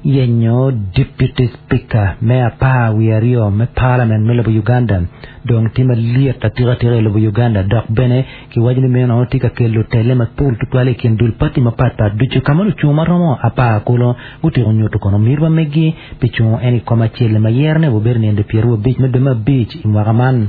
yenyo Deputy Speaker me 12 me Parliament me lobo Uganda dong tye malyet atika atika i lobo Uganda dok bene kiwaco ni meno tye ka kelo tele mapol tutwal i kin dul pati mapatpat ducu ka ma lucung ma romo apar kulu gutyeko nyuto kono miti ma megi pi cungo en i kom acel ma yerone obedo nino 25 me dwe me abic i mwaka man.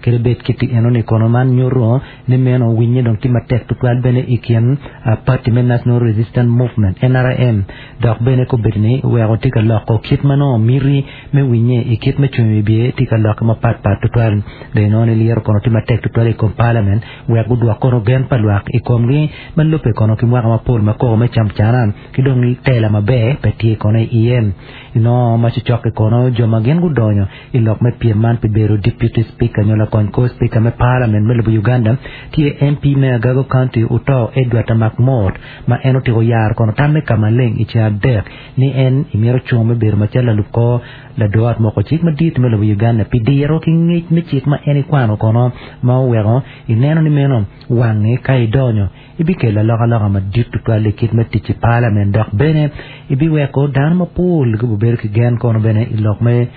Kadi bed kit enoni kono man nyuto ni meno winye dong tye matek tutwal bene i kin pati me National Resistance Movement, NRM, dok bene kobedo ni weko tye ka loko kit ma nongo miti me winye i kit me cungo i wibye tye ka lokke mapat pat tutwal. Dong inongo ni lyeto kono tye matek tutwal i kom palament wek gudwok kono gen pa lwak i komgi ma lubbe kono ki mwaka mapol ma koko me camcana ki dong tela maber pe tye kono iye. Inongo ma cocok-ki kono jo ma gin gudonyo I lok me pyem man pi bedo Deputy Speaker nyo lakony kor Speaker me Parliament me lobo Uganda tye MP me Agago County Oto Edward Makmot ma en otyeko yaro kono tamme ka maleng i ceng adek ni en imito cung me bedo macalo lalub kor lador ot moko cik madit me lobo Uganda pi diro ki ngec me cik ma en ikwano kono ma oweko ineno ni meno wange ka idonyo Ibikelo alokaloka madit tutwal i kit me tic i palament dok bene ibiweko dano mapol gubibedo ki gen kono bene i lok me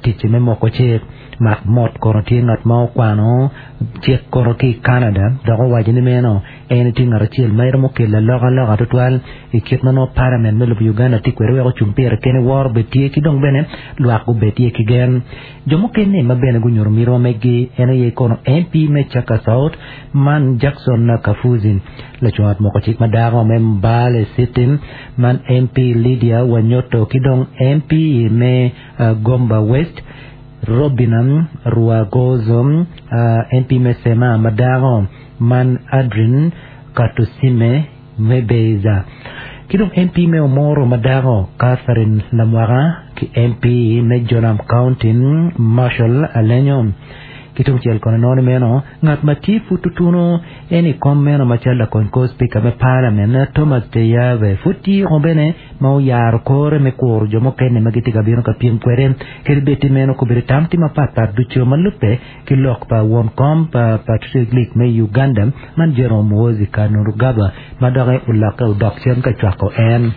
tic me moko cik. Mak mot kono tye ngat ma okwano cik kono ki i Canada dok owaco ni meno en tye ngat acel ma iromo kelo alokaloka tutwal i kit ma nongo palament me lobo Uganda tye kwede wek ocung pire kene woro obed tye ki dong bene lwak gubed tye ki gen. Jo mukene ma bene gunyuto miti ma meggi en aye kono MP me Chaka South man Jackson Kafuzi, lacung ot moko cik ma dako me Mbale City man MP Lydia Wanyoto ki dong MP me Gomba West Robina Rwagozo, MP me Sema ma dako man Adrine Katusime Mebeza, ki dong MP me Omoro ma dako Catherine Lamwaka ki MP me Jonam County Marshal Alenyo. Ki tungcel kono inongo ni meno ngat ma tye pud tutunu en i kom meno macalo lakony kor Spika me Parliament Thomas Teyave pud tye o bene ma oyaro kore me kuro jo mukene ma gitye ka bino ka pyem kwede kadi bed ti meno kobedo tam tye mapat pat ducu ma lubbe ki lok pa won kom pa Patriotic League me Uganda man General Muhoozi Kainerugaba ma doki olokke odok cen ka cwako en.